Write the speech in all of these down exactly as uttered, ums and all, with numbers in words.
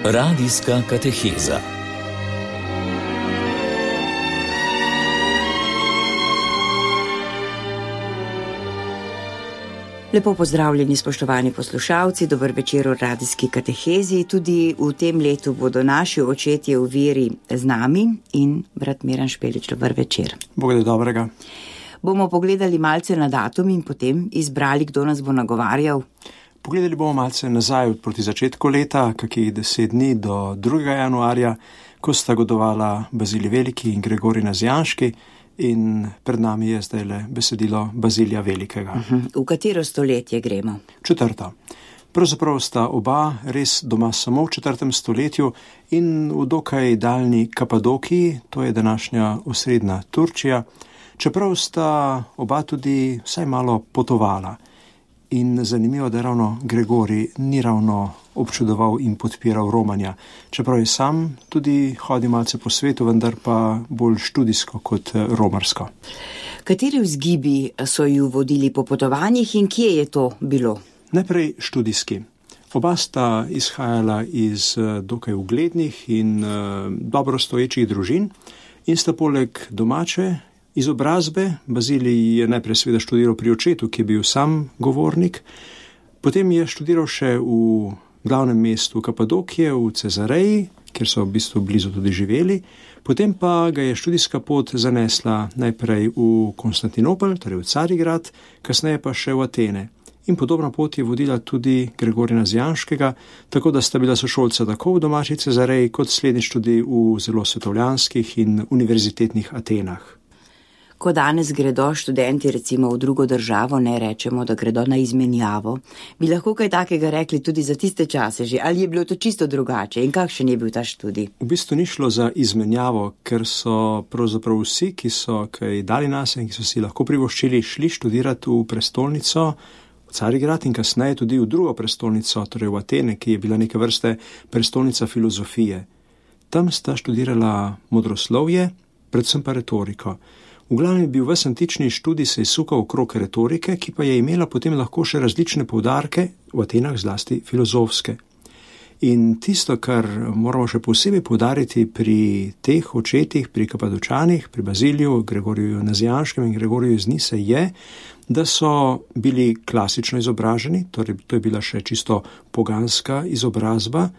Radijska kateheza. Lepo pozdravljeni, spoštovani poslušalci, dober večer v radijski katehezi. Tudi v tem letu bodo naši očetje v veri z nami in brat Miran Špelič, dober večer. Bog da dobrega. Bomo pogledali malce na datum in potem izbrali, kdo nas bo nagovarjal. Pogledali bomo malce nazaj proti začetku leta, kakih deset dni do drugega januarja, ko sta godovala Bazilij Veliki in Gregorij Nazijanški, in pred nami je zdaj le besedilo Bazilija Velikega. Uh-huh. V katero stoletje gremo? Četrto. Pravzaprav sta oba res doma samo v četrtem stoletju in v dokaj daljni Kapadokiji, to je današnja osrednja Turčija, čeprav sta oba tudi vsaj malo potovala. In zanimivo, da ravno Gregorij ni ravno občudoval in podpiral romanja, čeprav je sam tudi hodil malce po svetu, vendar pa bolj študijsko kot romarsko. Kateri vzgibi so ju vodili po potovanjih in kje je to bilo? Najprej študijski. Oba sta izhajala iz dokaj uglednih in uh, dobro stoječih družin in sta poleg domače izobrazbe, Bazilij je najprej seveda študiral pri očetu, ki je bil sam govornik, potem je študiral še v glavnem mestu Kapadokije, v Cezareji, kjer so v bistvu blizu tudi živeli, potem pa ga je študijska pot zanesla najprej v Konstantinopel, torej v Carigrad, kasneje pa še v Atene. In podobna pot je vodila tudi Gregorija Nazijanškega, tako da sta bila sošolca tako v domači Cezareji, kot slednjič tudi v zelo svetovljanskih in univerzitetnih Atenah. Ko danes gredo študenti recimo v drugo državo, ne rečemo, da gredo na izmenjavo, bi lahko kaj takega rekli tudi za tiste čase že, ali je bilo to čisto drugače in kakšen je bil ta študij? V bistvu ni šlo za izmenjavo, ker so pravzaprav vsi, ki so kaj dali nase in ki so si lahko privoščili, šli študirati v prestolnico, v Carigrad in kasneje tudi v drugo prestolnico, torej v Atene, ki je bila neke vrste prestolnica filozofije. Tam sta študirala modroslovje, predvsem pa retoriko. V glavnem je bil ves antični študij se izsukal okrog retorike, ki pa je imela potem lahko še različne poudarke, v Atenah zlasti filozofske. In tisto, kar moramo še posebej poudariti pri teh očetih, pri Kapadočanih, pri Baziliju, Gregoriju Nazijanškem in Gregoriju iz Nise, je, da so bili klasično izobraženi, torej to je bila še čisto poganska izobrazba,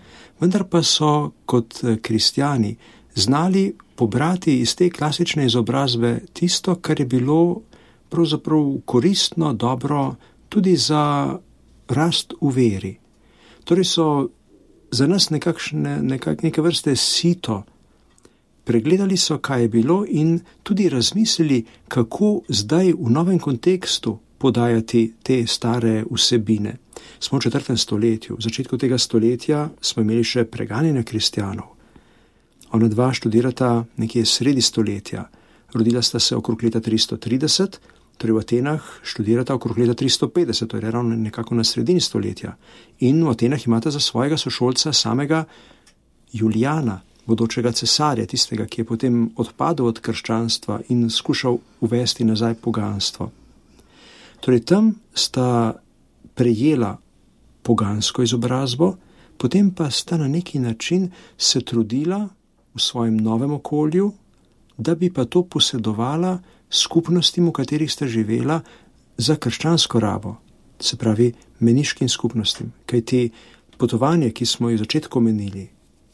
vendar pa so kot kristjani znali pobrati iz te klasične izobrazbe tisto, kar je bilo pravzaprav koristno, dobro tudi za rast v veri. Torej so za nas nekakšne, nekak, neke vrste sito. Pregledali so, kaj je bilo in tudi razmislili, kako zdaj v novem kontekstu podajati te stare vsebine. Smo v četrtem stoletju. V začetku tega stoletja smo imeli še preganjanje kristjanov. Ona dva študirata nekje sredi stoletja. Rodila sta se okrog leta tristo trideset, torej v Atenah študirata okrog leta tristo petdeset, torej ravno nekako na sredini stoletja. In v Atenah imata za svojega sošolca samega Julijana, bodočega cesarja, tistega, ki je potem odpadel od krščanstva in skušal uvesti nazaj poganstvo. Torej tam sta prejela pogansko izobrazbo, potem pa sta na neki način se trudila v svojem novem okolju, da bi pa to posedovala skupnostim, v katerih sta živela, za krščansko rabo, se pravi meniškim skupnostim. Kajti potovanja, ki smo jih v začetku omenili,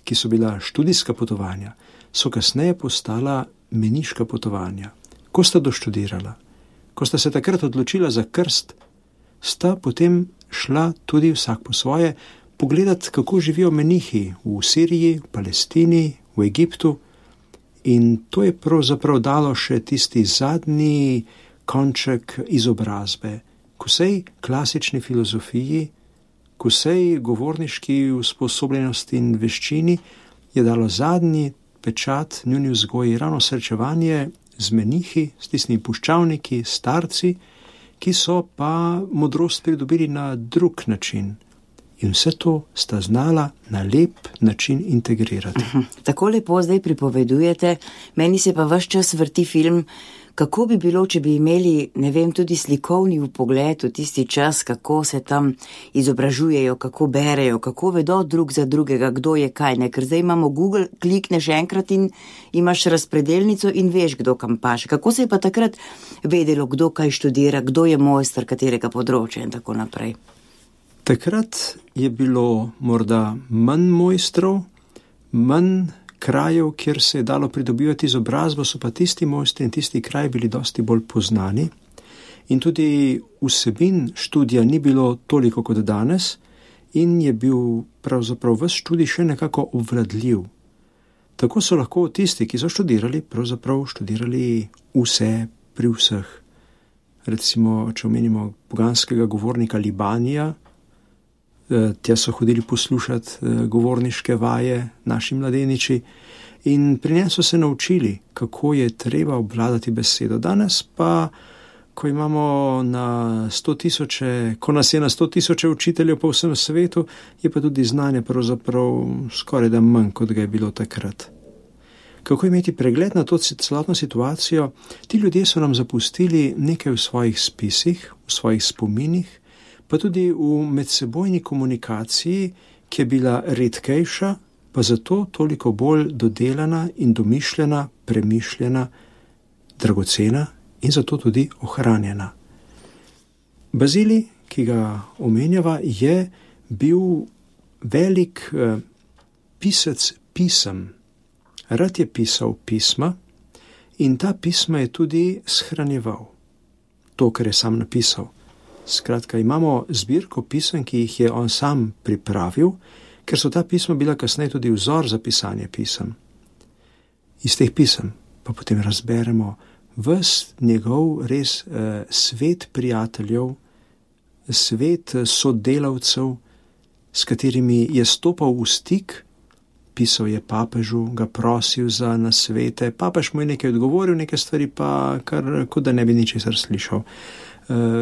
ki so bila študijska potovanja, so kasneje postala meniška potovanja. Ko sta doštudirala, ko sta se takrat odločila za krst, sta potem šla tudi vsak po svoje pogledati, kako živijo menihi v Siriji, v Palestini, v Egiptu, in to je pravzaprav dalo še tisti zadnji konček izobrazbe. K vsej klasični filozofiji, k vsej govorniški usposobljenosti in veščini je dalo zadnji pečat njuni vzgoji, ravno srečevanje z menihi, s tistimi puščavniki, starci, ki so pa modrost pridobili na drug način. In vse to sta znala na lep način integrirati. Tako lepo zdaj pripovedujete, meni se pa ves čas vrti film Kako bi bilo, če bi imeli, ne vem, tudi slikovni vpogled v tisti čas, kako se tam izobražujejo, kako berejo, kako vedo drug za drugega, kdo je kaj, ne? Ker zdaj imamo Google, klikneš enkrat in imaš razpredelnico in veš, kdo kam paše. Kako se je pa takrat vedelo, kdo kaj študira, kdo je mojster katerega področja in tako naprej? Takrat je bilo morda manj mojstrov, manj krajev, kjer se je dalo pridobivati izobrazbo, so pa tisti mojstri in tisti kraji bili dosti bolj poznani. In tudi vsebin študija ni bilo toliko kot danes in je bil pravzaprav ves študij še nekako obvladljiv. Tako so lahko tisti, ki so študirali, pravzaprav študirali vse pri vseh. Recimo, če omenimo poganskega govornika Libanija, tja so hodili poslušati govorniške vaje naši mladeniči in pri njem so se naučili, kako je treba obvladati besedo. Danes pa, ko imamo na sto tisoče, ko nas je na sto tisoče učiteljev po vsem svetu, je pa tudi znanje pravzaprav skoraj da manj, kot ga je bilo takrat. Kako imeti pregled na to celotno situacijo? Ti ljudje so nam zapustili nekaj v svojih spisih, v svojih spominih, pa tudi v medsebojni komunikaciji, ki je bila redkejša, pa zato toliko bolj dodelana in domišljena, premišljena, dragocena in zato tudi ohranjena. Bazilij, ki ga omenjava, je bil velik eh, pisec pisem. Rad je pisal pisma in ta pisma je tudi shranjeval. To, kar je sam napisal. Skratka, imamo zbirko pisem, ki jih je on sam pripravil, ker so ta pisma bila kasneje tudi vzor za pisanje pisem. Iz teh pisem pa potem razberemo ves njegov res eh, svet prijateljev, svet sodelavcev, s katerimi je stopal v stik, pisal je papežu, ga prosil za nasvete, papež mu je nekaj odgovoril, neke stvari pa kar, kot da ne bi ničesar slišal.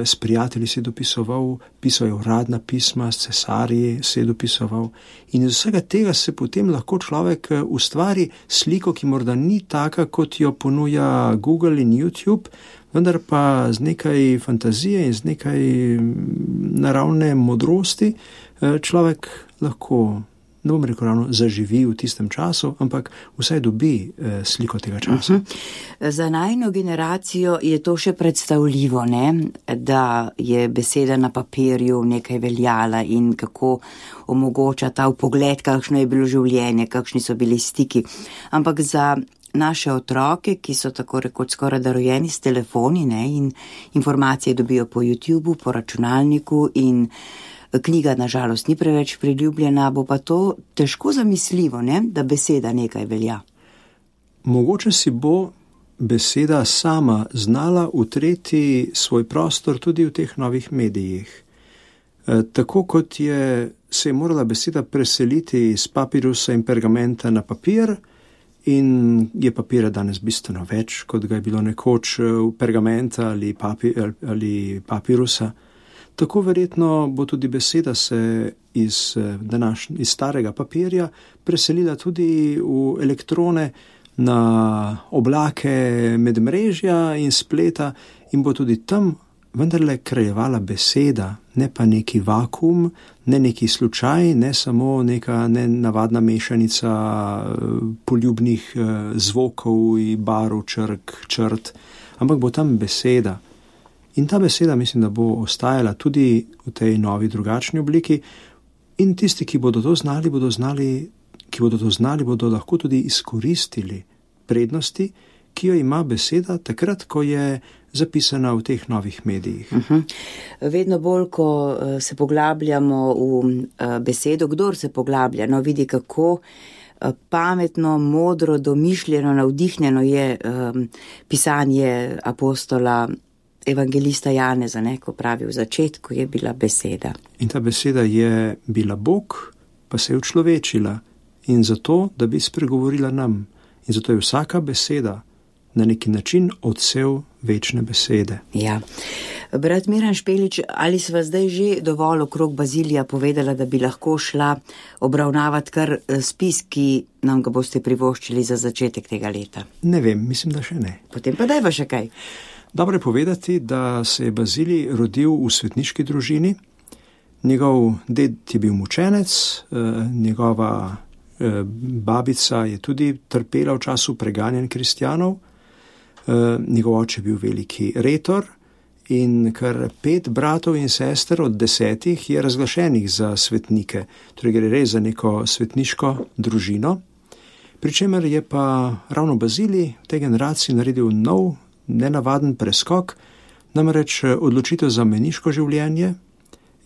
S prijatelji se je dopisoval, pisal je uradna pisma, s cesarji se je dopisoval in iz vsega tega se potem lahko človek ustvari sliko, ki morda ni taka, kot jo ponuja Google in YouTube, vendar pa z nekaj fantazije in z nekaj naravne modrosti človek lahko, ne bom rekel ravno, zaživi v tistem času, ampak vsaj dobi eh, sliko tega časa. Uh-huh. Za najino generacijo je to še predstavljivo, ne? Da je beseda na papirju nekaj veljala in kako omogoča ta vpogled, kakšno je bilo življenje, kakšni so bili stiki. Ampak za naše otroke, ki so tako rekoč skoraj da rojeni s telefoni, ne? In informacije dobijo po YouTubeu, po računalniku in knjiga nažalost ni preveč priljubljena, bo pa to težko zamisljivo, ne? Da beseda nekaj velja. Mogoče si bo beseda sama znala utreti svoj prostor tudi v teh novih medijih. E, tako kot je, se je morala beseda preseliti iz papirusa in pergamenta na papir in je papira danes bistveno več, kot ga je bilo nekoč pergamenta ali, papi, ali papirusa. Tako verjetno bo tudi beseda se iz, današnj, iz starega papirja preselila tudi v elektrone, na oblake medmrežja in spleta in bo tudi tam vendarle kraljevala beseda, ne pa neki vakuum, ne neki slučaj, ne samo neka nenavadna mešanica poljubnih zvokov in barv, črk, črt, ampak bo tam beseda. In ta beseda mislim, da bo ostajala tudi v tej novi drugačni obliki in tisti, ki bodo to znali, bodo znali, ki bodo to znali, bodo lahko tudi izkoristili prednosti, ki jo ima beseda takrat, ko je zapisana v teh novih medijih. Uh-huh. Vedno bolj, ko se poglabljamo v besedo, kdor se poglablja, no vidi, kako pametno, modro, domišljeno, navdihnjeno je um, pisanje apostola evangelista Janeza, ne, ko pravi, v začetku je bila beseda. In ta beseda je bila Bog, pa se je učlovečila in zato, da bi spregovorila nam. In zato je vsaka beseda na neki način odsev večne besede. Ja. Brat Miran Špelič, ali sva zdaj že dovolj okrog Bazilija povedala, da bi lahko šla obravnavati kar spis, ki nam ga boste privoščili za začetek tega leta? Ne vem, mislim, da še ne. Potem pa dajva še kaj. Dobro je povedati, da se je Bazilij rodil v svetniški družini. Njegov ded je bil mučenec, njegova babica je tudi trpela v času preganjanj kristjanov, njegov oče je bil veliki retor in kar pet bratov in sester od desetih je razglašenih za svetnike, torej gre res za neko svetniško družino, pri čemer je pa ravno Bazilij v tej generaciji naredil nov, nenavaden preskok, namreč odločitev za meniško življenje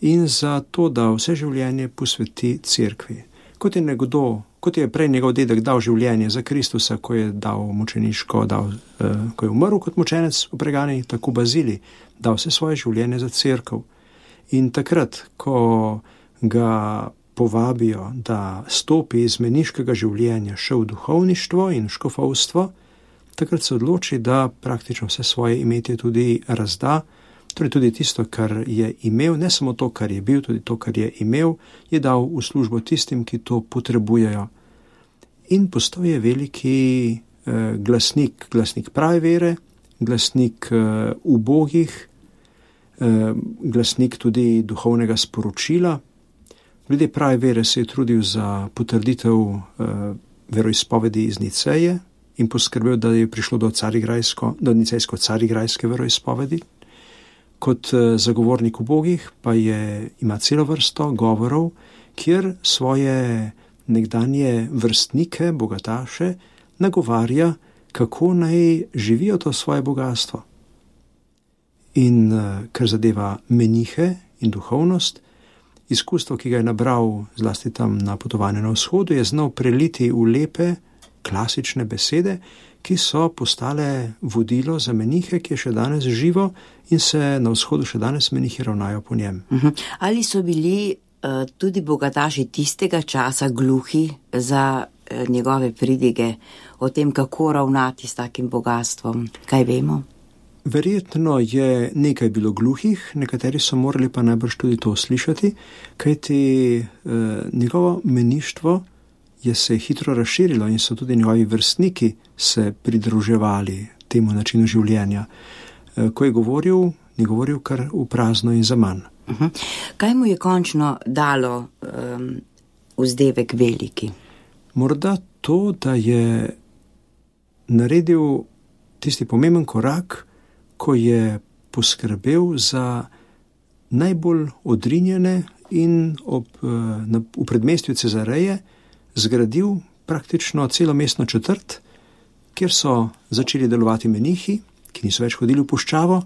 in za to, da vse življenje posveti cerkvi. Kot je nekdo, kot je prej njegov dedek dal življenje za Kristusa, ko je dal mučeniško, dal, eh, ko je umrl kot mučenec v preganjanju, tako Bazilij dal vse svoje življenje za cerkev. In takrat, ko ga povabijo, da stopi iz meniškega življenja še v duhovništvo in škofovstvo, takrat se odloči, da praktično vse svoje imetje tudi razda, torej tudi tisto, kar je imel, ne samo to, kar je bil, tudi to, kar je imel, je dal v službo tistim, ki to potrebujejo. In postal je veliki eh, glasnik, glasnik prave vere, glasnik eh, ubogih, eh, glasnik tudi duhovnega sporočila. Glede prave vere se je trudil za potrditev eh, veroizpovedi iz Niceje in poskrbel, da je prišlo do, do nicejsko-carigrajske veroizpovedi. Kot zagovornik ubogih pa je, ima celo vrsto govorov, kjer svoje nekdanje vrstnike, bogataše, nagovarja, kako naj živijo to svoje bogatstvo. In kar zadeva menihe in duhovnost, izkustvo, ki ga je nabral zlasti tam na potovanju na vzhodu, je znal preliti v lepe, klasične besede, ki so postale vodilo za menihe, ki je še danes živo in se na vzhodu še danes menihi ravnajo po njem. Uh-huh. Ali so bili uh, tudi bogataši tistega časa gluhi za uh, njegove pridige o tem, kako ravnati s takim bogatstvom? Kaj vemo? Verjetno je nekaj bilo gluhih, nekateri so morali pa najbrž tudi to slišati, kajti uh, njegovo meništvo je se hitro razširilo in so tudi njegovi vrstniki se pridruževali temu načinu življenja. Ko je govoril, ni govoril kar v prazno in za manj. Uh-huh. Kaj mu je končno dalo um, vzdevek veliki? Morda to, da je naredil tisti pomemben korak, ko je poskrbel za najbolj odrinjene in ob, na, v predmestju Cezareje zgradil praktično celo mestno četrt, kjer so začeli delovati menihi, ki niso več hodili v puščavo,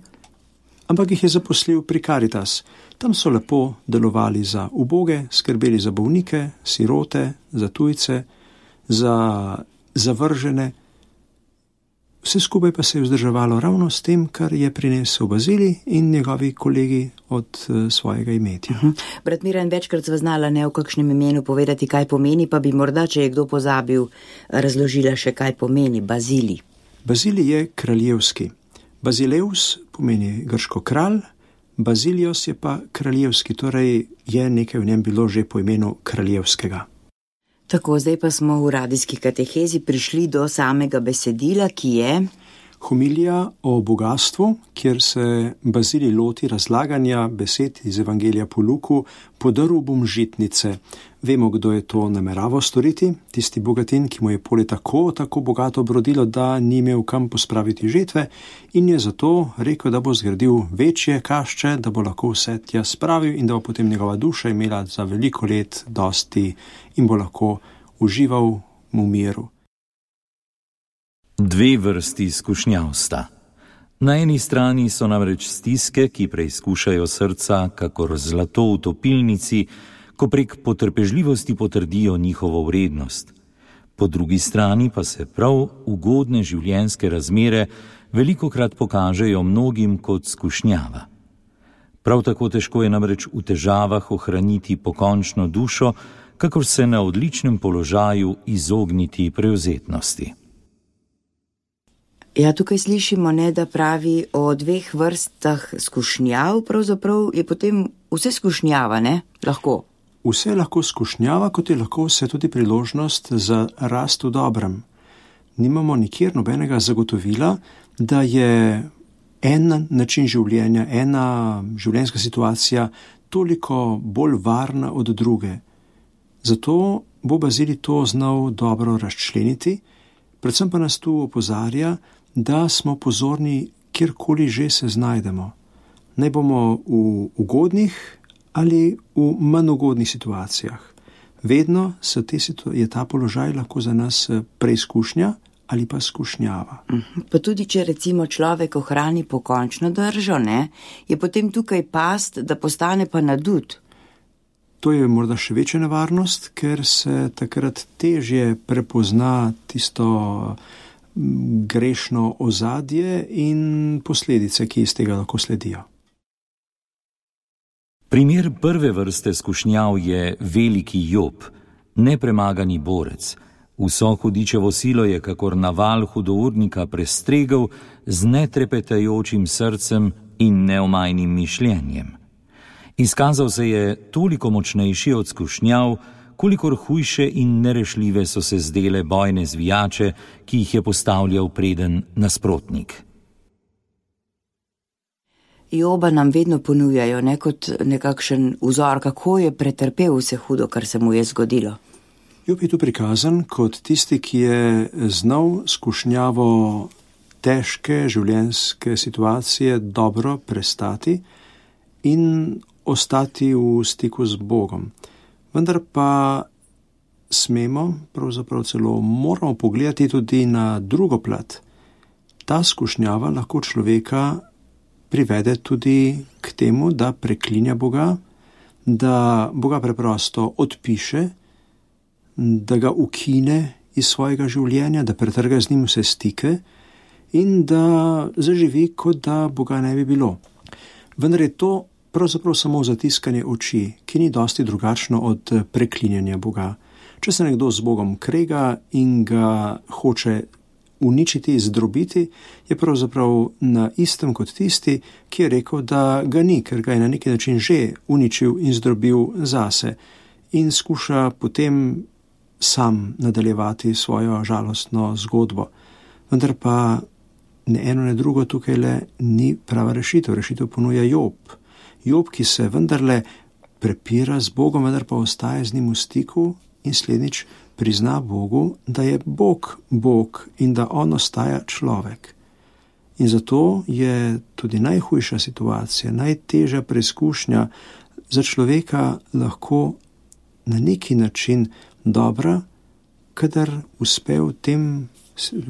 ampak jih je zaposlil pri Caritas. Tam so lepo delovali za uboge, skrbeli za bolnike, sirote, za tujce, za zavržene. Vse skupaj pa se je vzdrževalo ravno s tem, kar je prinesel Bazilij in njegovi kolegi od uh, svojega imetja. Uh-huh. Brat Miran, večkrat sva znala ne v kakšnem imenu povedati, kaj pomeni, pa bi morda, če je kdo pozabil, razložila še, kaj pomeni Bazilij. Bazilij je kraljevski. Bazileus pomeni grško kralj, Bazilios je pa kraljevski, torej je nekaj v njem bilo že po imenu kraljevskega. Tako, zdaj pa smo v radijski katehezi prišli do samega besedila, ki je homilija o bogastvu, kjer se Bazilij loti razlaganja besed iz Evangelija po Luku, podaril bom žitnice. Vemo, kdo je to nameraval storiti, tisti bogatin, ki mu je polje tako, tako bogato obrodilo, da ni imel kam pospraviti žetve in je zato rekel, da bo zgradil večje kašče, da bo lahko vse tja spravil in da bo potem njegova duša imela za veliko let dosti in bo lahko užival v miru. Dve vrsti izkušnjav sta. Na eni strani so namreč stiske, ki preizkušajo srca, kakor zlato v topilnici, ko prek potrpežljivosti potrdijo njihovo vrednost. Po drugi strani pa se prav ugodne življenjske razmere velikokrat pokažejo mnogim kot skušnjava. Prav tako težko je namreč v težavah ohraniti pokončno dušo, kakor se na odličnem položaju izogniti prevzetnosti. Ja, tukaj slišimo, ne, da pravi o dveh vrstah skušnjav, pravzaprav je potem vse skušnjava, ne, lahko. Vse je lahko skušnjava, kot je lahko vse tudi priložnost za rast v dobrem. Nimamo nikjer nobenega zagotovila, da je en način življenja, ena življenjska situacija toliko bolj varna od druge. Zato bo Bazilij to znal dobro razčleniti, predvsem pa nas tu opozarja, da smo pozorni, kjerkoli že se znajdemo. Naj bomo v ugodnih ali v manj ugodnih situacijah. Vedno se te situ- je ta položaj lahko za nas preizkušnja ali pa skušnjava. Pa tudi, če recimo človek ohrani pokončno držo, ne, je potem tukaj past, da postane pa nadut. To je morda še večja nevarnost, ker se takrat težje prepozna tisto grešno ozadje in posledice, ki iz tega lahko sledijo. Primer prve vrste skušnjav je veliki Job, nepremagani borec. Vso hudičevo silo je kakor naval hudournika prestregel z netrepetajočim srcem in neomajnim mišljenjem. Izkazal se je toliko močnejši od skušnjav, kolikor hujše in nerešljive so se zdele bojne zvijače, ki jih je postavljal preden nasprotnik. Joba nam vedno ponujajo, ne, kot nekakšen vzor, kako je pretrpel vse hudo, kar se mu je zgodilo. Job je tu prikazan kot tisti, ki je znal skušnjavo težke življenjske situacije dobro prestati in ostati v stiku z Bogom. Vendar pa smemo, pravzaprav celo moramo pogledati tudi na drugo plat. Ta skušnjava lahko človeka privede tudi k temu, da preklinja Boga, da Boga preprosto odpiše, da ga ukine iz svojega življenja, da pretrga z njim vse stike in da zaživi, kot da Boga ne bi bilo. Vendar je to pravzaprav samo zatiskanje oči, ki ni dosti drugačno od preklinjanja Boga. Če se nekdo z Bogom krega in ga hoče uničiti, zdrobiti, je pravzaprav na istem kot tisti, ki je rekel, da ga ni, ker ga je na neki način že uničil in zdrobil zase in skuša potem sam nadaljevati svojo žalostno zgodbo. Vendar pa ne eno, ne drugo tukaj le ni prava rešitev. Rešitev ponuja Job. Job, ki se vendarle prepira z Bogom, vendar pa ostaje z njim v stiku in slednjič prizna Bogu, da je Bog Bog in da on ostaja človek. In zato je tudi najhujša situacija, najtežja preizkušnja za človeka lahko na neki način dobra, kadar uspe v tem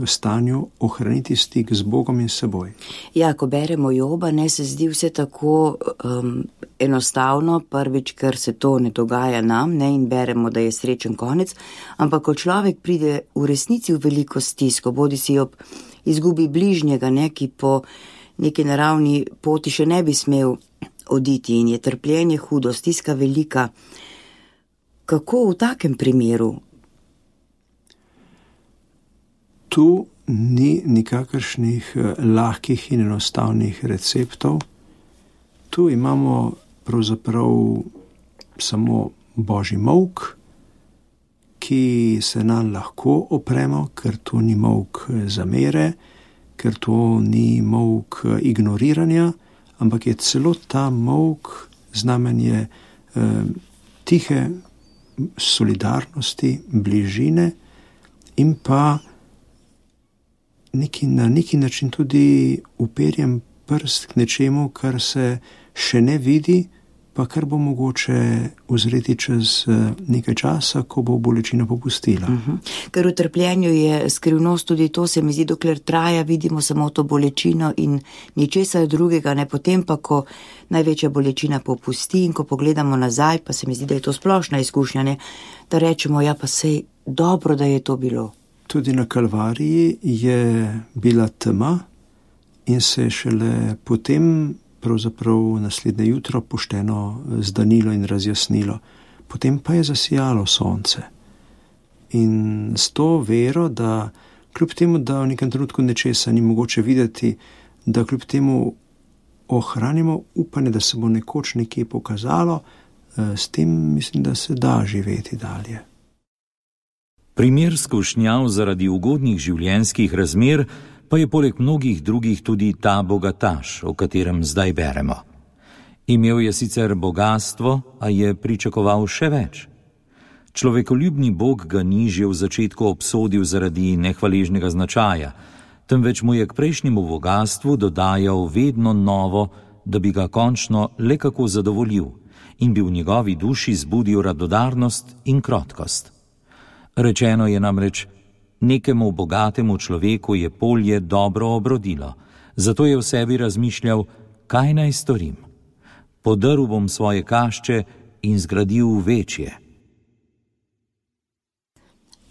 stanju ohraniti stik z Bogom in seboj. Ja, ko beremo Joba, ne se zdi vse tako um, enostavno, prvič, ker se to ne dogaja nam, ne, in beremo, da je srečen konec, ampak ko človek pride v resnici v veliko stisko, bodi si ob izgubi bližnjega, ne, ki po neki naravni poti še ne bi smel oditi in je trpljenje hudo, stiska velika. Kako v takem primeru? Tu ni nikakršnih lahkih in enostavnih receptov. Tu imamo pravzaprav samo Božji molk, ki se nam lahko opremo, ker to ni molk zamere, ker to ni molk ignoriranja, ampak je celo ta molk znamenje eh, tihe solidarnosti, bližine in pa neki, na neki način tudi uperjem prst k nečemu, kar se še ne vidi, pa kar bo mogoče uzreti čez nekaj časa, ko bo bolečina popustila. Uh-huh. Ker v trpljenju je skrivnost tudi to, se mi zdi, dokler traja, vidimo samo to bolečino in ničesar drugega, ne, potem pa, ko največja bolečina popusti in ko pogledamo nazaj, pa se mi zdi, da je to splošna izkušnja, ne, da rečemo, ja, pa sej dobro, da je to bilo. Tudi na Kalvariji je bila tema in se je šele potem pravzaprav naslednje jutro pošteno zdanilo in razjasnilo. Potem pa je zasijalo sonce. In s to vero, da kljub temu, da v nekem trenutku nečesa ni mogoče videti, da kljub temu ohranimo upanje, da se bo nekoč nekje pokazalo, s tem mislim, da se da živeti dalje. Primer skušnjav zaradi ugodnih življenjskih razmer pa je poleg mnogih drugih tudi ta bogataš, o katerem zdaj beremo. Imel je sicer bogastvo, a je pričakoval še več. Človekoljubni Bog ga ni že v začetku obsodil zaradi nehvaležnega značaja, temveč mu je k prejšnjemu bogastvu dodajal vedno novo, da bi ga končno le kako zadovoljil in bi v njegovi duši zbudil radodarnost in krotkost. Rečeno je namreč, nekemu bogatemu človeku je polje dobro obrodilo, zato je v sebi razmišljal, kaj naj storim. Podrl bom svoje kašče in zgradil večje.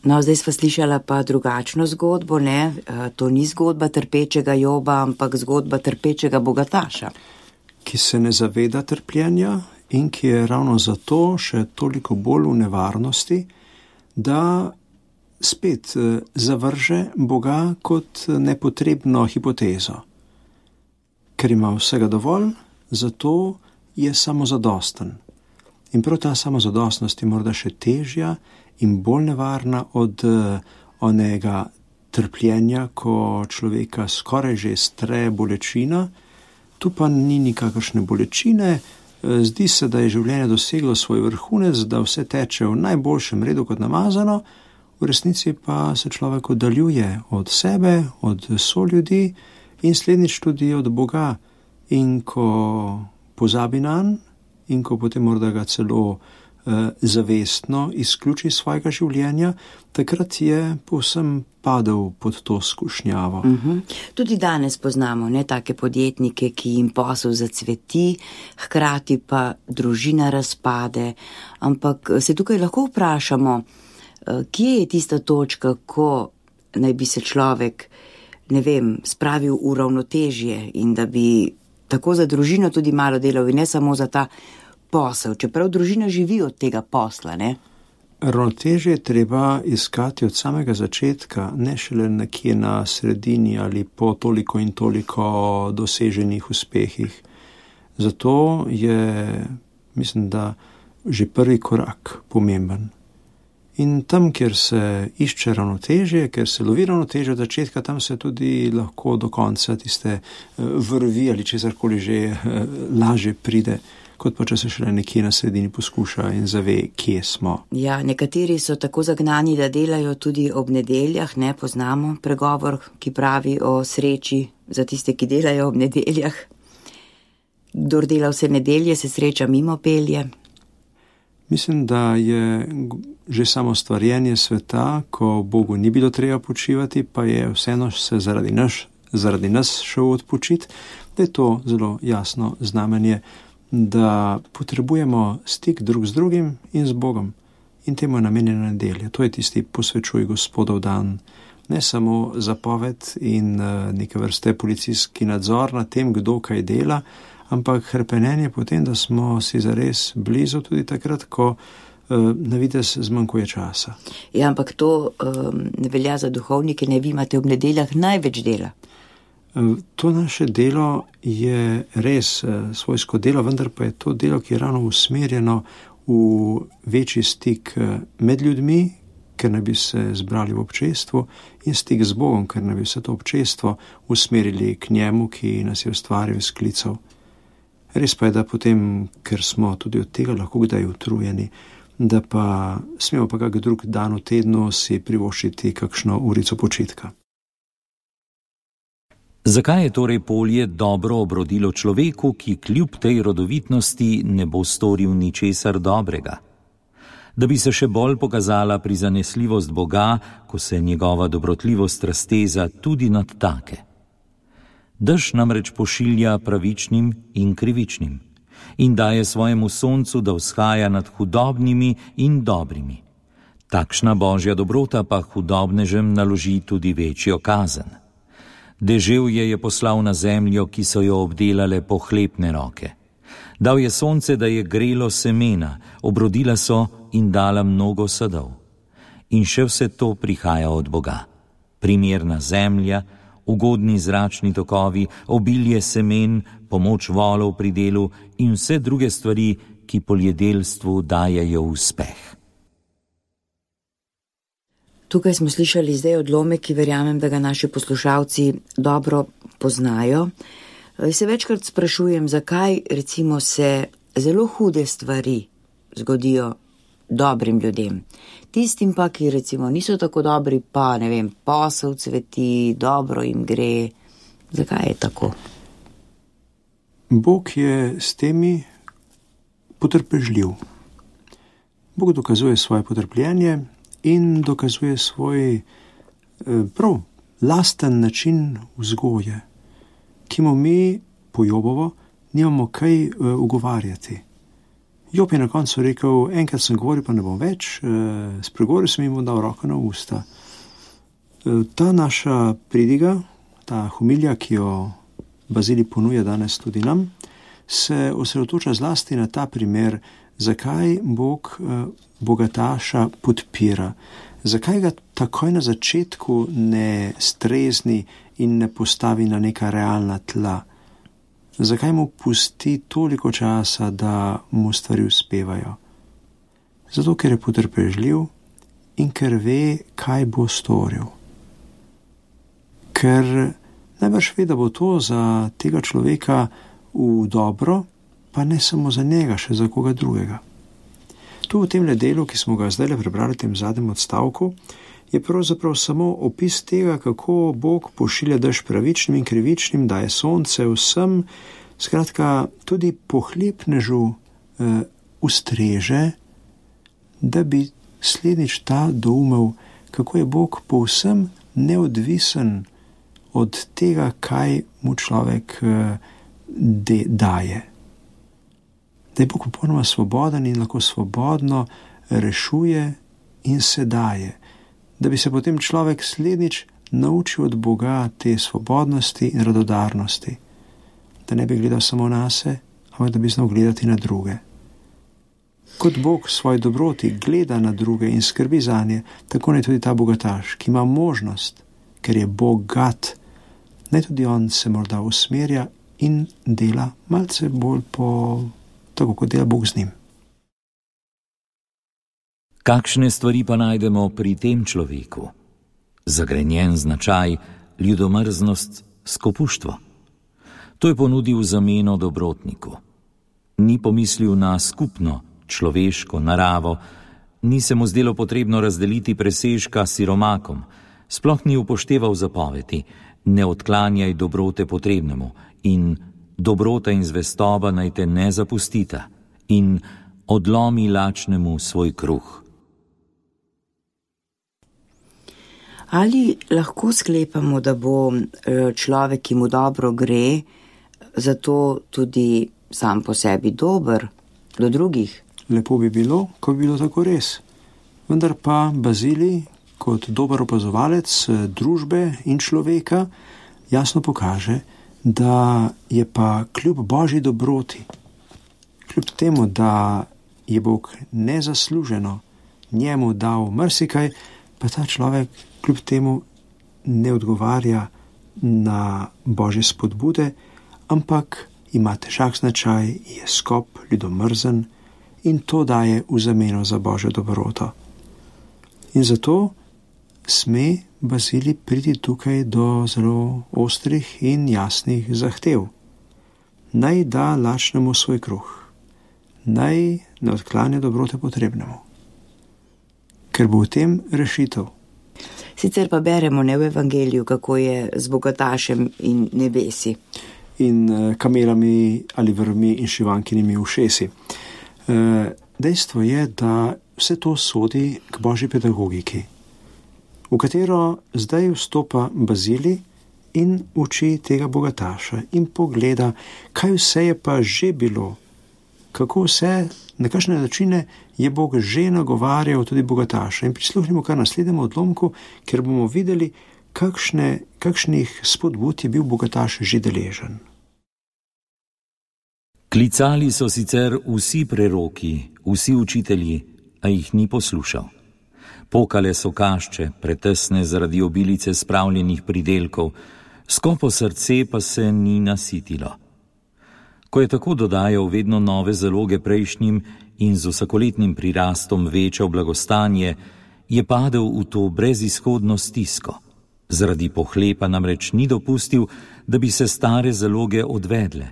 No, zdaj sva slišala pa drugačno zgodbo, ne? To ni zgodba trpečega Joba, ampak zgodba trpečega bogataša. Ki se ne zaveda trpljenja in ki je ravno zato še toliko bolj v nevarnosti, da spet zavrže Boga kot nepotrebno hipotezo. Ker ima vsega dovolj, zato je samozadosten. In prav ta samozadostnost je morda še težja in bolj nevarna od onega trpljenja, ko človeka skoraj že stre bolečina. Tu pa ni nikakršne bolečine, zdi se, da je življenje doseglo svoj vrhunec, da vse teče v najboljšem redu kot namazano, v resnici pa se človek oddaljuje od sebe, od soljudi in slednjič tudi od Boga. In ko pozabi nanj in ko potem morda ga celo zavestno izključi svojega življenja, takrat je povsem padel pod to skušnjavo. Uh-huh. Tudi danes poznamo ne, take podjetnike, ki jim posel zacveti, hkrati pa družina razpade, ampak se tukaj lahko vprašamo, kje je tista točka, ko naj bi se človek, ne vem, spravil v ravnotežje in da bi tako za družino tudi malo delal in ne samo za ta posel, čeprav družina živi od tega posla, ne? Ravnotežje je treba iskati od samega začetka, ne šele nekje na sredini ali po toliko in toliko doseženih uspehih. Zato je, mislim, da že prvi korak pomemben. In tam, kjer se išče ravnotežje, kjer se lovi ravnotežje od začetka, tam se tudi lahko do konca tiste vrvi ali česarkoli že lažje pride, kot pa če se šele nekje na sredini poskuša in zave, kje smo. Ja, nekateri so tako zagnani, da delajo tudi ob nedeljah, ne poznamo pregovor, ki pravi o sreči za tiste, ki delajo ob nedeljah. Kdor dela vse nedelje, se sreča mimo pelje. Mislim, da je že samo stvarjenje sveta, ko Bogu ni bilo treba počivati, pa je vseeno se zaradi nas, zaradi nas šel odpočiti, da je to zelo jasno znamenje, da potrebujemo stik drug z drugim in z Bogom. In temu je namenjena nedelja. To je tisti posvečuj Gospodov dan. Ne samo zapoved in neke vrste policijski nadzor nad tem, kdo kaj dela, ampak hrepenenje potem, da smo si zares blizu tudi takrat, ko uh, na vides zmanjkuje časa. Ja, ampak to um, ne velja za duhovnike, ne vi imate ob nedeljah največ dela. Uh, to naše delo je res uh, svojsko delo, vendar pa je to delo, ki je ravno usmerjeno v večji stik uh, med ljudmi, ker naj bi se zbrali v občestvu, in stik z Bogom, ker naj bi se to občestvo usmerili k njemu, ki nas je ustvaril iz klicev. Res pa je, da potem, ker smo tudi od tega lahko kdaj utrujeni, da pa smemo pa kak drug dan v tednu si privoščiti kakšno urico počitka. Zakaj je torej polje dobro obrodilo človeku, ki kljub tej rodovitnosti ne bo storil ničesar dobrega? Da bi se še bolj pokazala prizanesljivost Boga, ko se njegova dobrotljivost razteza tudi nad take. Dež namreč pošilja pravičnim in krivičnim in daje svojemu soncu, da vzhaja nad hudobnimi in dobrimi. Takšna božja dobrota pa hudobnežem naloži tudi večjo kazen. Deževje je poslal na zemljo, ki so jo obdelale pohlepne roke. Dal je sonce, da je grelo semena, obrodila so in dala mnogo sadov. In še vse to prihaja od Boga. primerna zemlja, ugodni zračni tokovi, obilje semen, pomoč volov pri delu in vse druge stvari, ki poljedelstvu dajejo uspeh. Tukaj smo slišali zdaj odlomek, ki verjamem, da ga naši poslušalci dobro poznajo. Se večkrat sprašujem, zakaj recimo se zelo hude stvari zgodijo dobrim ljudem. Tistim pa, ki recimo niso tako dobri, pa ne vem, posel cveti, dobro jim gre. Zakaj je tako? Bog je s temi potrpežljiv. Bog dokazuje svoje potrpljenje in dokazuje svoj prav lasten način vzgoje, ki mu mi po Jobovo nimamo kaj ugovarjati. Job je na koncu rekel, enkrat sem govoril, pa ne bom več, spregovoril sem jim dal roko na usta. Ta naša pridiga, ta homilija, ki jo Bazilij ponuja danes tudi nam, se osredotoča zlasti na ta primer, zakaj Bog bogataša podpira, zakaj ga takoj na začetku ne strezni in ne postavi na neka realna tla. Zakaj mu pusti toliko časa, da mu stvari uspevajo? Zato, ker je potrpežljiv in ker ve, kaj bo storil. Ker najbrž ve, da bo to za tega človeka v dobro, pa ne samo za njega, še za koga drugega. Tu v tem delu, ki smo ga zdaj prebrali v tem zadnjem odstavku, je pravzaprav samo opis tega, kako Bog pošilja dež pravičnim in krivičnim, daje sonce vsem, skratka tudi pohlepnežu eh, ustreže, da bi slednjič ta doumel, kako je Bog povsem neodvisen od tega, kaj mu človek eh, de, daje. Da je Bog popolnoma svoboden in lahko svobodno rešuje in se daje. Da bi se potem človek slednjič naučil od Boga te svobodnosti in radodarnosti. Da ne bi gledal samo na se, ampak da bi znal gledati na druge. Kot Bog svoj dobroti gleda na druge in skrbi zanje, tako ne tudi ta bogataš, ki ima možnost, ker je bogat, naj tudi on se morda usmerja in dela malce bolj po tako, kot dela Bog z njim. Kakšne stvari pa najdemo pri tem človeku? Zagrenjen značaj, ljudomrznost, skopuštvo. To je ponudil v zameno dobrotniku. Ni pomislil na skupno človeško naravo, ni se mu zdelo potrebno razdeliti presežka siromakom, sploh ni upošteval zapovedi, ne odklanjaj dobrote potrebnemu in dobrota in zvestoba naj te ne zapustita in odlomi lačnemu svoj kruh. Ali lahko sklepamo, da bo človek, ki mu dobro gre, zato tudi sam po sebi dober do drugih? Lepo bi bilo, ko bi bilo tako res. Vendar pa Bazilij, kot dober opazovalec družbe in človeka, jasno pokaže, da je pa kljub Božji dobroti, kljub temu, da je Bog nezasluženo njemu dal marsikaj, pa ta človek kljub temu ne odgovarja na Božje spodbude, ampak ima težak značaj, je skop, ljudomrzen in to daje v zameno za Božjo dobroto. In zato sme Bazilij priti tukaj do zelo ostrih in jasnih zahtev. Naj da lačnemu svoj kruh, naj ne odklanja dobrote potrebnemu, ker bo v tem rešitev. Sicer pa beremo ne v evangeliju, kako je z bogatašem in nebesi. In kamelami ali vrvmi in šivankinimi ušesi. Dejstvo je, da vse to sodi k Božji pedagogiki, v katero zdaj vstopa Bazilij in uči tega bogataša in pogleda, kaj vse je pa že bilo, kako vse, na kakšne načine je Bog že nagovarjal tudi bogataša. In prisluhnimo kar naslednjemu odlomku, ker bomo videli, kakšne, kakšnih spodbud je bil bogataš že deležen. Klicali so sicer vsi preroki, vsi učitelji, a jih ni poslušal. Pokale so kašče, pretesne zaradi obilice spravljenih pridelkov, skopo srce pa se ni nasitilo. Ko je tako dodajal vedno nove zaloge prejšnjim in z vsakoletnim prirastom večal blagostanje, je padel v to brezizhodno stisko. Zaradi pohlepa namreč ni dopustil, da bi se stare zaloge odvedle,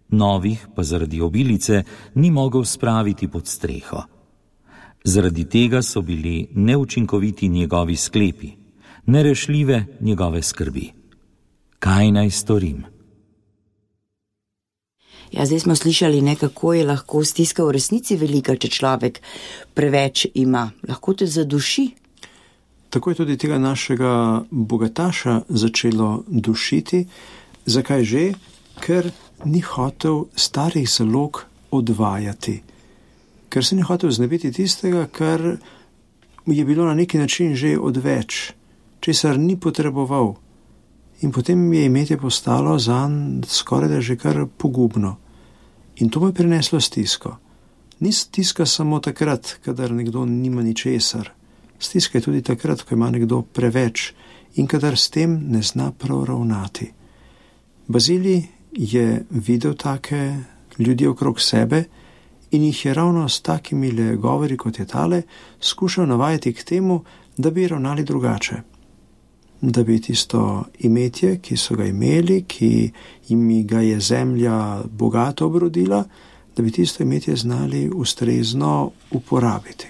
novih pa zaradi obilice ni mogel spraviti pod streho. Zaradi tega so bili neučinkoviti njegovi sklepi, nerešljive njegove skrbi. Kaj naj storim? Ja, zdaj smo slišali, ne, kako je lahko stiska v resnici velika, če človek preveč ima. Lahko te zaduši. Tako je tudi tega našega bogataša začelo dušiti. Zakaj že? Ker ni hotel starih zalog odvajati. Ker se ni hotel znebiti tistega, kar je bilo na neki način že odveč, česar ni potreboval. In potem je imetje postalo zanj skoraj da že kar pogubno. In to mu je prineslo stisko. Ni stiska samo takrat, kadar nekdo nima ničesar. Stiska je tudi takrat, ko ima nekdo preveč in kadar s tem ne zna prav ravnati. Bazilij je videl take ljudi okrog sebe in jih je ravno s takimi le govori, kot je tale, skušal navajati k temu, da bi ravnali drugače. Da bi tisto imetje, ki so ga imeli, ki jim ga je zemlja bogato obrodila, da bi tisto imetje znali ustrezno uporabiti.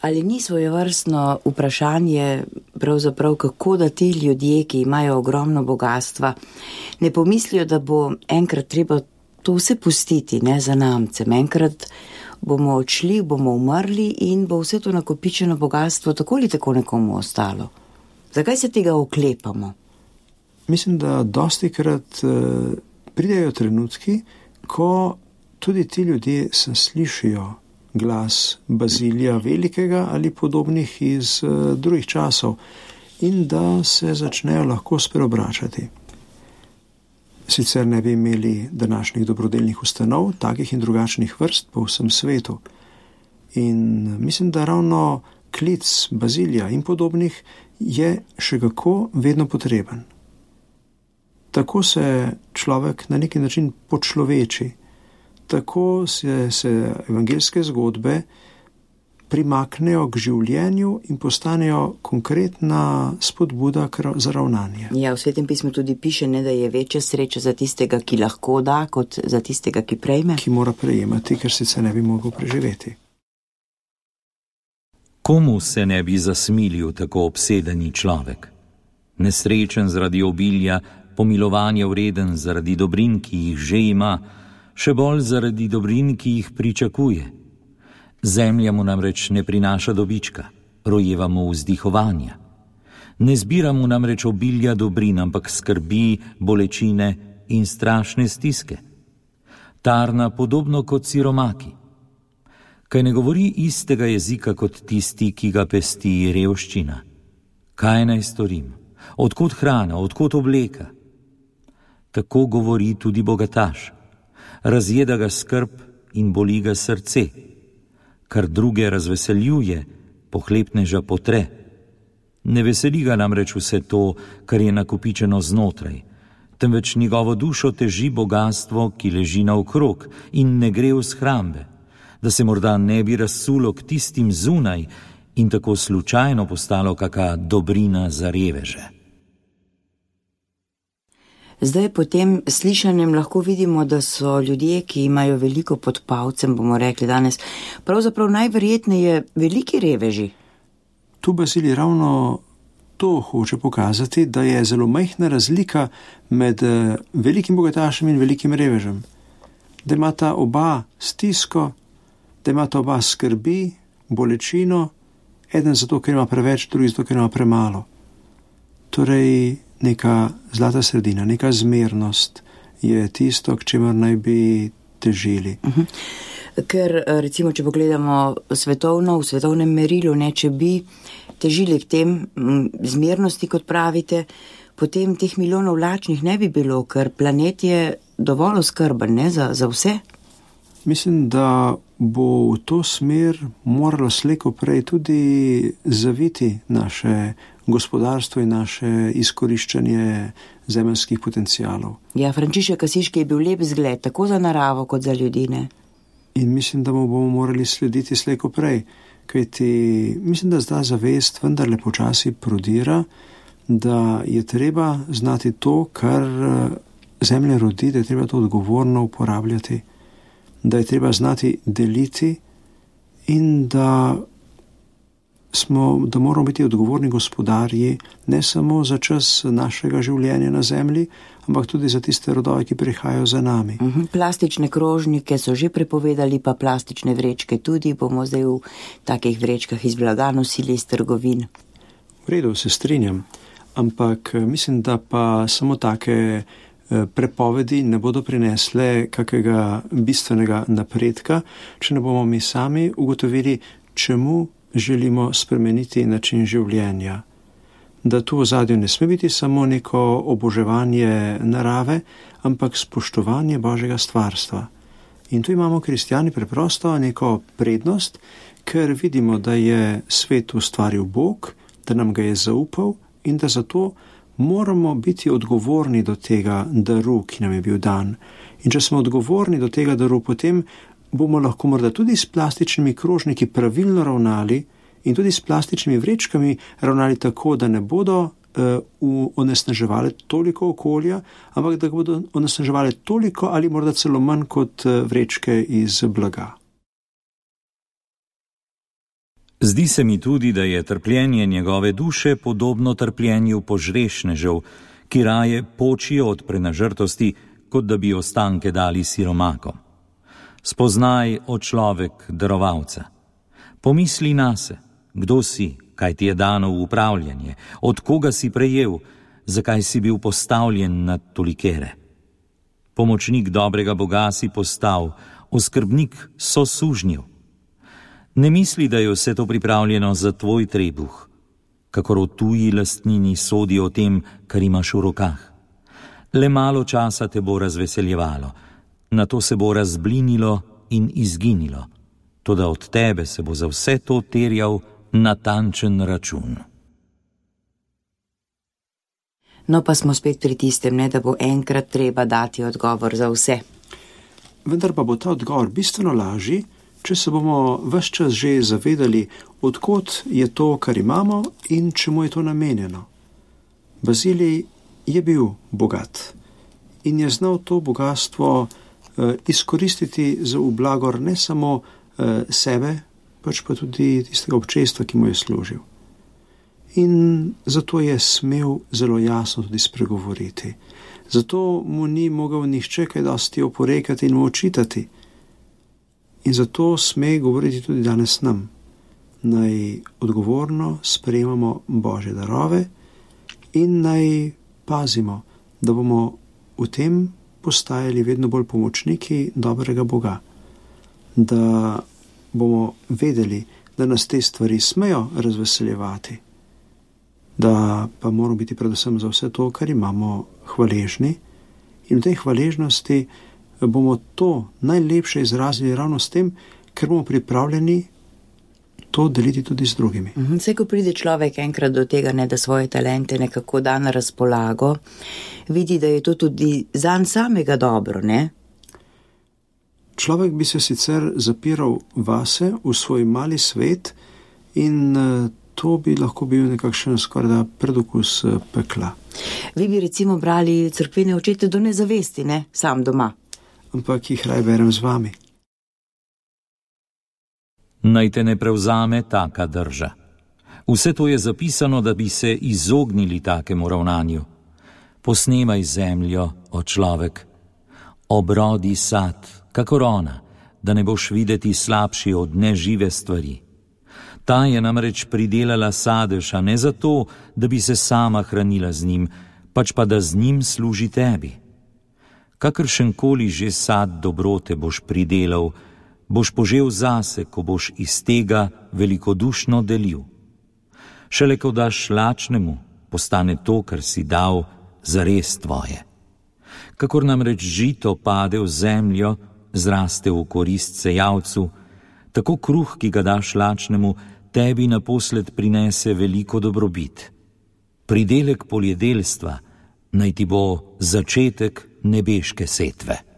Ali ni svojevrstno vprašanje pravzaprav, kako da ti ljudje, ki imajo ogromno bogatstva, ne pomislijo, da bo enkrat treba to vse pustiti, ne za namcem. Enkrat bomo odšli, bomo umrli in bo vse to nakopičeno bogatstvo tako ali tako nekomu ostalo. Zakaj se tega oklepamo? Mislim, da dostikrat uh, pridejo trenutki, ko tudi ti ljudje se slišijo glas Bazilija Velikega ali podobnih iz uh, drugih časov in da se začnejo lahko spreobračati. Sicer ne bi imeli današnjih dobrodelnih ustanov, takih in drugačnih vrst po vsem svetu. In mislim, da ravno klic Bazilija in podobnih je še kako vedno potreben. Tako se človek na neki način počloveči, tako se, se evangeljske zgodbe primaknejo k življenju in postanejo konkretna spodbuda za ravnanje. Ja, v Svetem pismu tudi piše, ne, da je večja sreča za tistega, ki lahko da, kot za tistega, ki prejme. Ki mora prejemati, ker sicer ne bi mogel preživeti. Komu se ne bi zasmilil tako obsedeni človek? Nesrečen zaradi obilja, pomilovanja vreden zaradi dobrin, ki jih že ima, še bolj zaradi dobrin, ki jih pričakuje. Zemlja mu namreč ne prinaša dobička, rojeva mu vzdihovanja. Ne zbira mu namreč obilja dobrin, ampak skrbi, bolečine in strašne stiske. Tarna podobno kot siromaki. Kaj ne govori istega jezika kot tisti, ki ga pesti revščina? Kaj naj storim? Odkot hrana, odkot obleka? Tako govori tudi bogataš. Razjeda ga skrb in boli ga srce. Kar druge razveseljuje, pohlepneža potre. Ne veseli ga namreč vse to, kar je nakopičeno znotraj, temveč njegovo dušo teži bogatstvo, ki leži naokrog in ne gre v shrambe, da se morda ne bi razsulo k tistim zunaj in tako slučajno postalo kaka dobrina za reveže. Zdaj po tem slišanjem lahko vidimo, da so ljudje, ki imajo veliko pod palcem, bomo rekli danes, pravzaprav najverjetneje veliki reveži. Tu Bazilij ravno to hoče pokazati, da je zelo majhna razlika med velikim bogatašem in velikim revežem. Da imata oba stisko, da imata oba skrbi, bolečino, eden zato, ker ima preveč, drugi zato, ker ima premalo. Torej, neka zlata sredina, neka zmernost je tisto, k čemer naj bi težili. Uh-huh. Ker, recimo, če pogledamo svetovno, v svetovnem merilu, ne, če bi težili k tem zmernosti, kot pravite, potem teh milijonov lačnih ne bi bilo, ker planet je dovolj oskrben, ne, za, za vse. Mislim, da bo v to smer moralo slejko prej tudi zaviti naše gospodarstvo in naše izkoriščanje zemeljskih potencialov. Ja, Frančišek Asiški je bil lep zgled, tako za naravo kot za ljudi, ne? In mislim, da mu bomo morali slediti slejko prej, kajti mislim, da zdaj zavest vendarle počasi prodira, da je treba znati to, kar zemlja rodi, da je treba to odgovorno uporabljati, da je treba znati deliti in da, smo, da moramo biti odgovorni gospodarji ne samo za čas našega življenja na zemlji, ampak tudi za tiste rodove, ki prihajajo za nami. Uhum, plastične krožnike so že prepovedali, pa plastične vrečke tudi, bomo zdaj v takih vrečkah iz blaga nosili iz trgovin. V redu, se strinjam, ampak mislim, da pa samo take prepovedi ne bodo prinesle kakega bistvenega napredka, če ne bomo mi sami ugotovili, čemu želimo spremeniti način življenja. Da tu v ozadju ne sme biti samo neko oboževanje narave, ampak spoštovanje Božjega stvarstva. In tu imamo kristjani preprosto neko prednost, ker vidimo, da je svet ustvaril Bog, da nam ga je zaupal in da zato moramo biti odgovorni do tega daru, ki nam je bil dan. In če smo odgovorni do tega daru, potem bomo lahko morda tudi s plastičnimi krožniki pravilno ravnali in tudi s plastičnimi vrečkami ravnali tako, da ne bodo uh, onesnaževali toliko okolja, ampak da bodo onesnaževali toliko ali morda celo manj kot uh, vrečke iz blaga. Zdi se mi tudi, da je trpljenje njegove duše podobno trpljenju požrešnežev, ki raje počijo od prenažrtosti, kot da bi ostanke dali siromakom. Spoznaj, o človek, darovalca. Pomisli nase, kdo si, kaj ti je dano v upravljanje, od koga si prejel, zakaj si bil postavljen na tolikere. Pomočnik dobrega Boga si postal, oskrbnik sosužnjev. Ne misli, da je vse to pripravljeno za tvoj trebuh, kakor o tuji lastnini sodi o tem, kar imaš v rokah. Le malo časa te bo razveseljevalo, nato se bo razblinilo in izginilo, toda od tebe se bo za vse to terjal natančen račun. No pa smo spet pri tistem, ne, da bo enkrat treba dati odgovor za vse. Vendar pa bo ta odgovor bistveno lažji, če se bomo ves čas že zavedali, odkot je to, kar imamo in čemu je to namenjeno. Bazilij je bil bogat in je znal to bogatstvo eh, izkoristiti za v blagor ne samo eh, sebe, pač pa tudi tistega občestva, ki mu je služil. In zato je smel zelo jasno tudi spregovoriti. Zato mu ni mogel nihče kaj dosti oporekati in mu očitati. In zato sme govoriti tudi danes nam. Naj odgovorno sprejemamo Božje darove in naj pazimo, da bomo v tem postajali vedno bolj pomočniki dobrega Boga. Da bomo vedeli, da nas te stvari smejo razveseljevati, da pa moramo biti predvsem za vse to, kar imamo, hvaležni in v tej hvaležnosti bomo to najlepše izrazili ravno s tem, ker bomo pripravljeni to deliti tudi z drugimi. Vse, ko pride človek enkrat do tega, ne, da svoje talente nekako da na razpolago, vidi, da je to tudi zanj samega dobro, ne? Človek bi se sicer zapiral vase, v svoj mali svet in to bi lahko bil nekakšen skoraj predokus pekla. Vi bi recimo brali cerkvene očete do nezavesti, ne? Sam doma. Ampak jih raj berem z vami. Naj te ne prevzame taka drža. Vse to je zapisano, da bi se izognili takemu ravnanju. Posnemaj zemljo, o človek, obrodi sad, kakor ona, da ne boš videti slabši od nežive stvari. Ta je namreč pridelala sadež, a ne zato, da bi se sama hranila z njim, pač pa da z njim služi tebi. Kakršenkoli že sad dobrote boš pridelal, boš požel zase, ko boš iz tega velikodušno delil. Šele ko daš lačnemu, postane to, kar si dal, zares tvoje. Kakor namreč žito pade v zemljo, zraste v korist sejavcu, tako kruh, ki ga daš lačnemu, tebi naposled prinese veliko dobrobit. Pridelek poljedelstva naj ti bo začetek nebeške setve.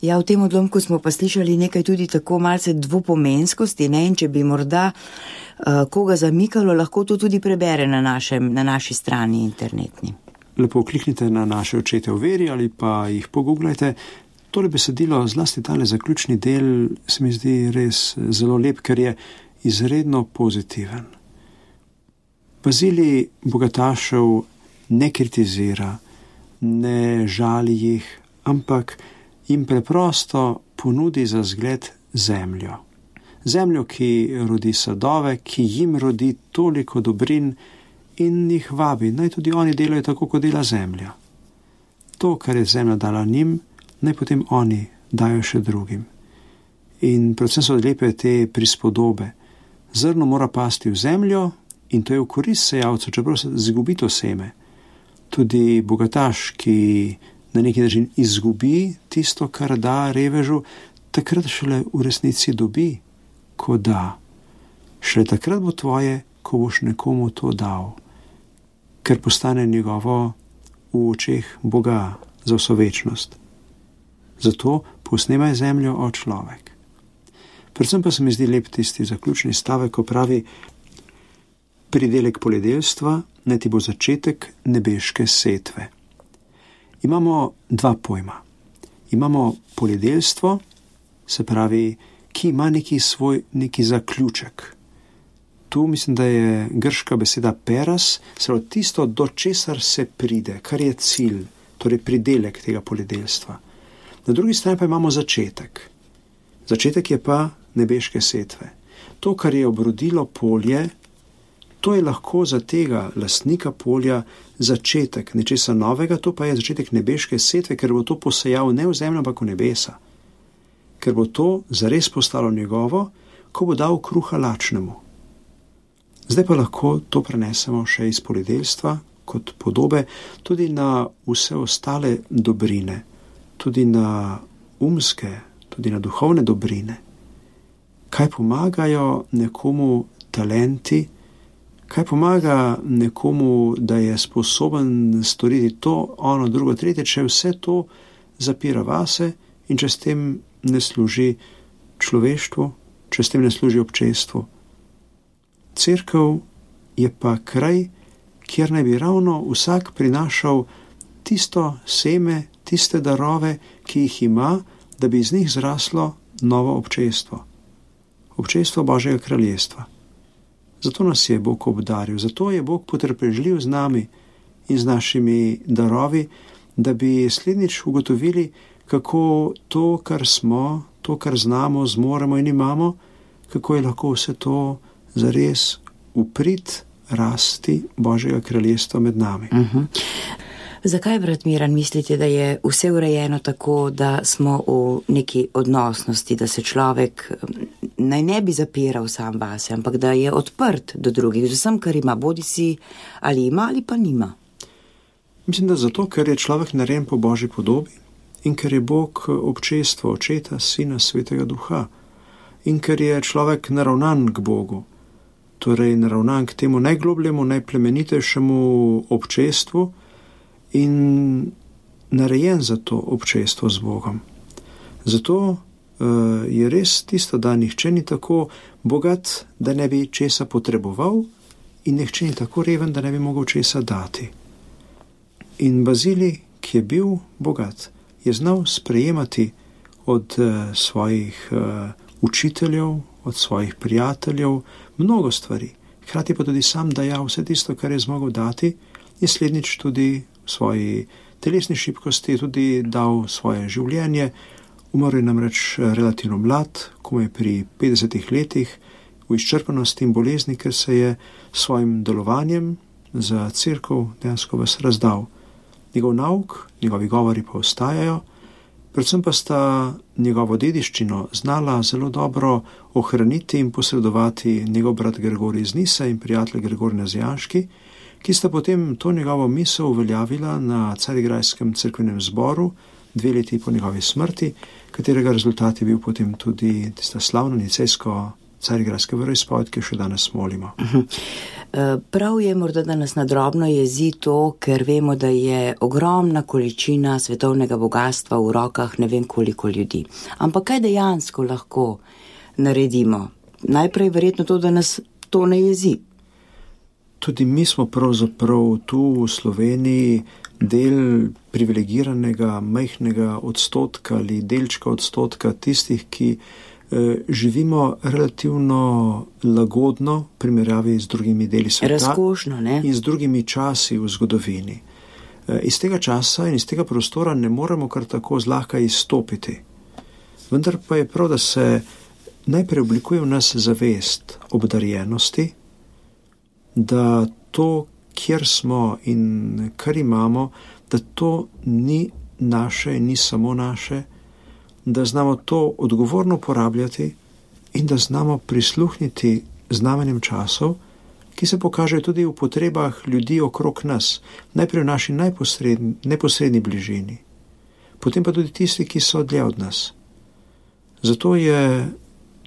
Ja, v tem odlomku smo pa slišali nekaj tudi tako malce dvopomenskosti, ne, in če bi morda uh, koga zamikalo, lahko to tudi prebere na, našem, na naši strani internetni. Lepo kliknite na naše očete v veri ali pa jih pogooglajte. Tole besedilo, zlasti tale zaključni del, se mi zdi res zelo lep, ker je izredno pozitiven. Bazilij bogatašev ne kritizira, ne žali jih, ampak jim preprosto ponudi za zgled zemljo. Zemljo, ki rodi sadove, ki jim rodi toliko dobrin in jih vabi, naj tudi oni delajo tako, kot dela zemlja. To, kar je zemlja dala njim, naj potem oni dajo še drugim. In predvsem so lepe te prispodobe. Zrno mora pasti v zemljo in to je v korist sejavcu, čeprav se zgubi to seme. Tudi bogataš, ki na neki način izgubi tisto, kar da revežu, takrat šele v resnici dobi, ko da. Šele takrat bo tvoje, ko boš nekomu to dal, ker postane njegovo v očeh Boga za vso večnost. Zato posnemaj zemljo, o človek. Predvsem pa se mi zdi lep tisti zaključni stavek, ko pravi: pridelek poljedelstva naj ti bo začetek nebeške setve. Imamo dva pojma. Imamo poljedelstvo, se pravi, ki ima neki svoj neki zaključek. Tu mislim, da je grška beseda peras, se pravi tisto, do česar se pride, kar je cilj, torej pridelek tega poljedelstva. Na drugi strani pa imamo začetek. Začetek je pa nebeške setve. To, kar je obrodilo polje, to je lahko za tega lastnika polja začetek nečesa novega, to pa je začetek nebeške setve, ker bo to posejal ne v zemljo, ampak v nebesa. Ker bo to zares postalo njegovo, ko bo dal kruha lačnemu. Zdaj pa lahko to prenesemo še iz poljedelstva kot podobe tudi na vse ostale dobrine, tudi na umske, tudi na duhovne dobrine. Kaj pomagajo nekomu talenti, kaj pomaga nekomu, da je sposoben storiti to, ono, drugo, tretje, če vse to zapira vase in če s tem ne služi človeštvu, če s tem ne služi občestvu. Cerkev je pa kraj, kjer naj bi ravno vsak prinašal tisto seme, tiste darove, ki jih ima, da bi iz njih zraslo novo občestvo. Občestvo Božjega kraljestva. Zato nas je Bog obdaril, zato je Bog potrpežljiv z nami in z našimi darovi, da bi slednjič ugotovili, kako to, kar smo, to, kar znamo, zmoremo in imamo, kako je lahko vse to zares v prid rasti Božjega kraljestva med nami. Uh-huh. Zakaj, brat Miran, mislite, da je vse urejeno tako, da smo v neki odnosnosti, da se človek naj ne bi zapiral sam vase, ampak da je odprt do drugih, vsem, kar ima, bodi si ali ima ali pa nima? Mislim, da zato, ker je človek narejen po Božji podobi in ker je Bog občestvo Očeta, Sina, Svetega Duha in ker je človek naravnan k Bogu, torej naravnan k temu najglobljemu, najplemenitejšemu občestvu in narejen za to občestvo z Bogom. Zato uh, je res tisto, da nihče ni tako bogat, da ne bi česa potreboval in nihče ni tako reven, da ne bi mogel česa dati. In Bazilij, ki je bil bogat, je znal sprejemati od uh, svojih uh, učiteljev, od svojih prijateljev mnogo stvari. Hkrati pa tudi sam dajal vse tisto, kar je zmogel dati, in slednjič tudi v svoji telesni šibkosti tudi dal svoje življenje. Umrl je namreč relativno mlad, komaj pri petdesetih letih, v izčrpanosti in bolezni, ker se je svojim delovanjem za cerkev dejansko vas razdal. Njegov nauk, njegovi govori pa ostajajo, predvsem pa sta njegovo dediščino znala zelo dobro ohraniti in posredovati njegov brat Gregorij iz Nise in prijatelj Gregorij Nazijanški, ki sta potem to njegovo misel uveljavila na Carigrajskem cerkvenem zboru, dve leti po njegovi smrti, katerega rezultat je bil potem tudi tista slavna nicejsko carigrajska veroizpoved, ki jo še danes molimo. Prav je morda, da nas nadrobno jezi to, ker vemo, da je ogromna količina svetovnega bogatstva v rokah ne vem koliko ljudi. Ampak kaj dejansko lahko naredimo? Najprej verjetno to, da nas to ne jezi. Tudi mi smo pravzaprav tu v Sloveniji del privilegiranega, majhnega odstotka ali delčka odstotka tistih, ki eh, živimo relativno lagodno v primerjavi z drugimi deli sveta. Razkošno, ne? In z drugimi časi v zgodovini. Eh, iz tega časa in iz tega prostora ne moremo kar tako zlahka izstopiti. Vendar pa je prav, da se najprej oblikuje v nas zavest obdarjenosti, da to, kjer smo in kar imamo, da to ni naše in ni samo naše, da znamo to odgovorno uporabljati in da znamo prisluhniti znamenjem časov, ki se pokažejo tudi v potrebah ljudi okrog nas, najprej v naši neposredni, neposredni bližini, potem pa tudi tisti, ki so dlje od nas. Zato je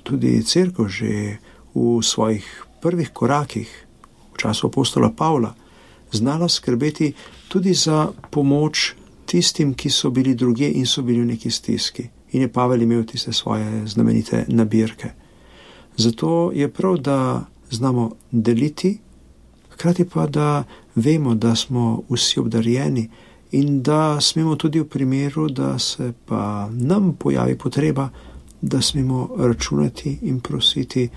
tudi cerkev že v svojih prvih korakih v času apostola Pavla znala skrbeti tudi za pomoč tistim, ki so bili drugje in so bili v neki stiski. In je Pavel imel tiste svoje znamenite nabirke. Zato je prav, da znamo deliti, hkrati pa, da vemo, da smo vsi obdarjeni in da smemo tudi v primeru, da se pa nam pojavi potreba, da smemo računati in prositi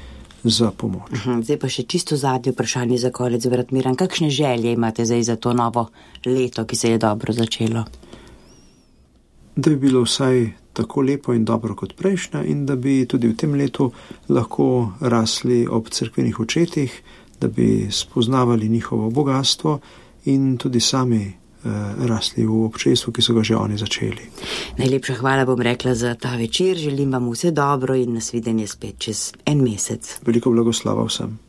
za pomoč. Zdaj pa še čisto zadnje vprašanje za konec, brat Miran. Kakšne želje imate zdaj za to novo leto, ki se je dobro začelo? Da bi bilo vsaj tako lepo in dobro kot prejšnja in da bi tudi v tem letu lahko rasli ob cerkvenih očetih, da bi spoznavali njihovo bogatstvo in tudi sami rasli v občestvu, ki so ga že oni začeli. Najlepša hvala bom rekla za ta večer. Želim vam vse dobro in nasvidenje spet čez en mesec. Veliko blagoslava vsem.